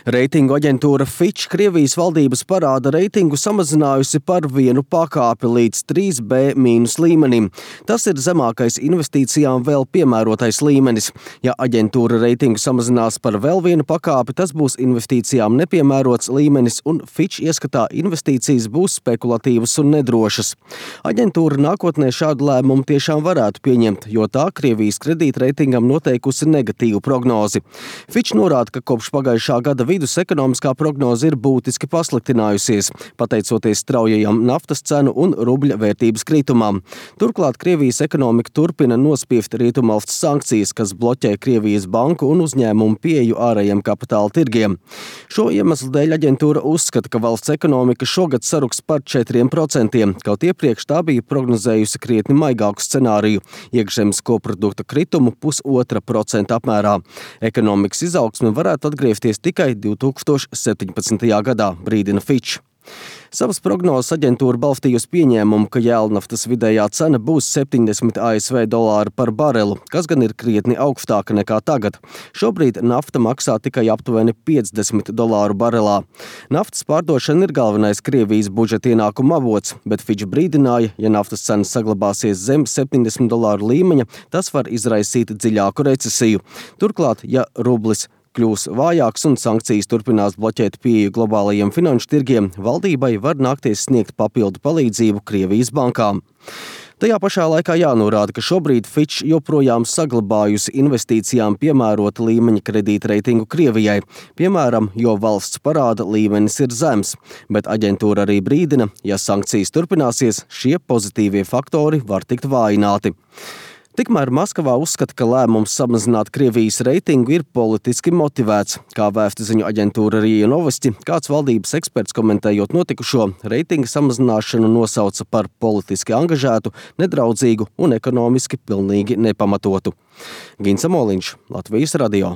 Reitingu aģentūra Fitch Krievijas valdības parāda reitingu samazinājusi par vienu pakāpi līdz 3B- līmenim. Tas ir zemākais investīcijām vēl piemērotais līmenis. Ja aģentūra reitingu samazinās par vēl vienu pakāpi, tas būs investīcijām nepiemērots līmenis un Fitch ieskatā investīcijas būs spekulatīvas un nedrošas. Aģentūra nākotnē šādu lēmumu tiešām varētu pieņemt, jo tā Krievijas kredītreitingam noteikusi negatīvu prognozi. Fitch norāda, ka kopš pagājušā gada vidus ekonomiskā prognoze ir būtiski pasliktinājusies, pateicoties straujajam naftas cenu un rubļa vērtības kritumam. Turklāt Krievijas ekonomika turpina nospieft rietumvalsts sankcijas, kas bloķē Krievijas banku un uzņēmumu pieeju ārējiem kapitāla tirgiem. Šo iemeslu dēļ aģentūra uzskata, ka valsts ekonomika šogad saruks par 4%, kaut iepriekš tā bija prognozējusi krietni maigāku scenāriju – iekšzemes koprodukta kritumu 0,5% apmērā. Ekonomikas izaugsme varētu atgriezties tikai 2017. gadā, brīdina Fitch. Savas prognozes aģentūra balstījusi pieņēmumu, ka jēlnaftas vidējā cena būs $70 ASV par barelu, kas gan ir krietni augstāka nekā tagad. Šobrīd nafta maksā tikai aptuveni $50 barelā. Naftas pārdošana ir galvenais Krievijas budžeta ienākuma avots, bet Fitch brīdināja, ja naftas cenas saglabāsies zem $70 līmeņa, tas var izraisīt dziļāku recesiju. Turklāt, ja rublis kļūs vājāks un sankcijas turpinās bloķēt pieeju globālajiem finanšu tirgiem, valdībai var nākties sniegt papildu palīdzību Krievijas bankām. Tajā pašā laikā jānorāda, ka šobrīd Fitch joprojām saglabājusi investīcijām piemērota līmeņa kredītreitingu Krievijai, piemēram, jo valsts parāda līmenis ir zems, bet aģentūra arī brīdina, ja sankcijas turpināsies, šie pozitīvie faktori var tikt vājināti. Tikmēr Maskavā uzskata, ka lēmums samazināt Krievijas reitingu ir politiski motivēts. Kā vēstu ziņu aģentūra RIA Novosti, kāds valdības eksperts komentējot notikušo, reitinga samazināšanu nosauca par politiski angažētu, nedraudzīgu un ekonomiski pilnīgi nepamatotu. Gins Amoliņš, Latvijas radio.